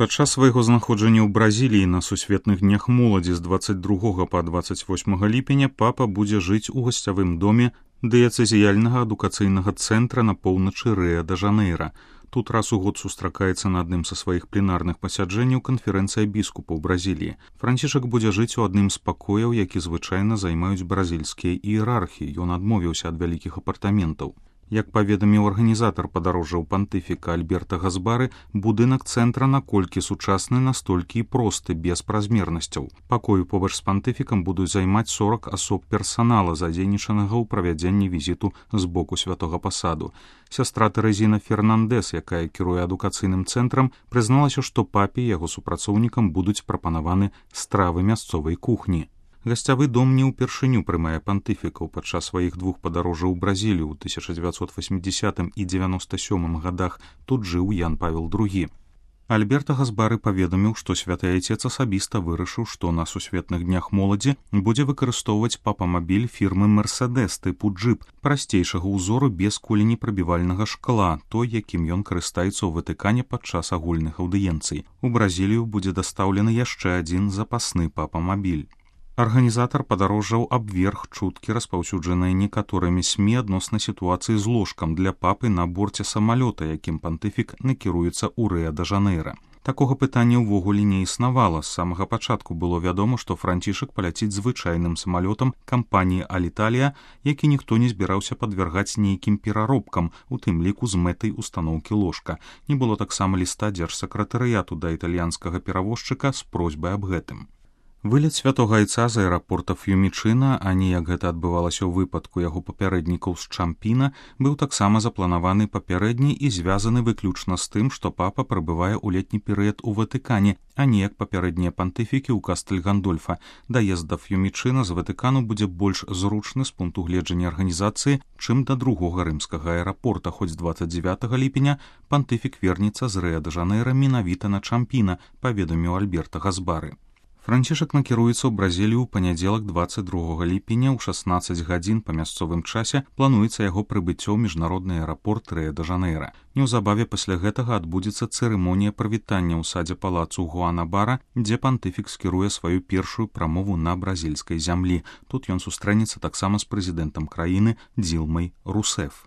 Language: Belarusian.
Падчас свайго знаходжання ў Бразіліі на сусветных днях моладзі з 22 па 28 ліпеня папа будзе жыць у гасцявым доме дыяцэзіяльнага адукацыйнага цэнтра на поўначы Рыа-де-Жанейра. Тут раз у год сустракаецца на адным са сваіх пленарных пасяджэнняў канферэнцыя біскупаў Бразіліі. Францішак будзе жыць у адным з пакояў, які звычайна займаюць бразільскія іерархі. Ён адмовіўся ад вялікіх апартаментаў. Як паведаміў арганізатар падарожжаў пантыфіка Альберта Газбары, будынак цэнтра наколькі сучасны, настолькі і просты, без празмернасцяў. Пакою побач з пантыфікам будуць займаць 40 асоб персанала, задзейнічанага ў правядзенні візіту з боку святога пасаду. Сястра Тэрэзіна Фернандэс, якая кіруе адукацыйным цэнтрам, прызналася, што папе і яго супрацоўнікам будуць прапанаваны стравы мясцовай кухні. Гасцявы дом не ўпершыню прымае пантыфікаў. Падчас сваіх двух падарожжаў у Бразілію ў 1980 і 97 гадах тут жыў Ян Павел II. Альберта Газбары паведаміў, што святы айцец асабіста вырашыў, што на сусветных днях моладзі будзе выкарыстоўваць папамабіль фірмы «Мерседес» тыпу «Джип», прасцейшага ўзору без куленепрабівальнага шкла, той, якім ён карыстаецца ў Ватыкане падчас агульных аўдыенцый. У Бразілію будзе дастаўлены яшчэ адзін запасны папамабіль. Арганізатар падарожжаў абверг чуткі, распаўсюджаныя некаторымі СМІ адносна сітуацыі з ложкам для папы на борце самалёта, якім пантыфік накіруецца ў Рыа-де-Жанейра. Такога пытання ўвогуле не існавала. З самага пачатку было вядома, што Францішак паляціць звычайным самалётам кампаніі «Аліталія», які ніхто не збіраўся падвяргаць нейкім пераробкам, у тым ліку з мэтай устаноўкі ложка. Не было таксама ліста дзяржсакратарыяту да італьянскага перавозчыка з просьбай аб гэтым. Вылет святога айца з аэрапорта Ф'юмічына, а не як гэта адбывалася ў выпадку яго папярэднікаў з Чампіна, быў таксама запланаваны папярэдні і звязаны выключна з тым, што папа прабывае ў летні перыяд у Ватыкане, а не як папярэднія пантыфікі ў Кастэль-Гандольфа. Даезд да Ф'юмічына з Ватыкану будзе больш зручны з пункту гледжання арганізацыі, чым да другога рымскага аэрапорта, хоць 29 ліпеня пантыфік вернецца з Рыа-де-Жанейра менавіта на Чампіна, паведаміў Альберта Газбары. Францішак накіруецца ў Бразілію ў панядзелак 22 ліпеня ў 16 гадзін па мясцовым часе. Плануецца яго прыбыццё ў міжнародны аэрапорт Рыа-де-Жанейра. Неўзабаве пасля гэтага адбудзецца цырымонія прывітання ў садзе палацу Гуанабара, дзе пантыфік скіруе сваю першую прамову на бразільскай зямлі. Тут ён сустрэнецца таксама з прэзідэнтам краіны Дзілмай Русеф.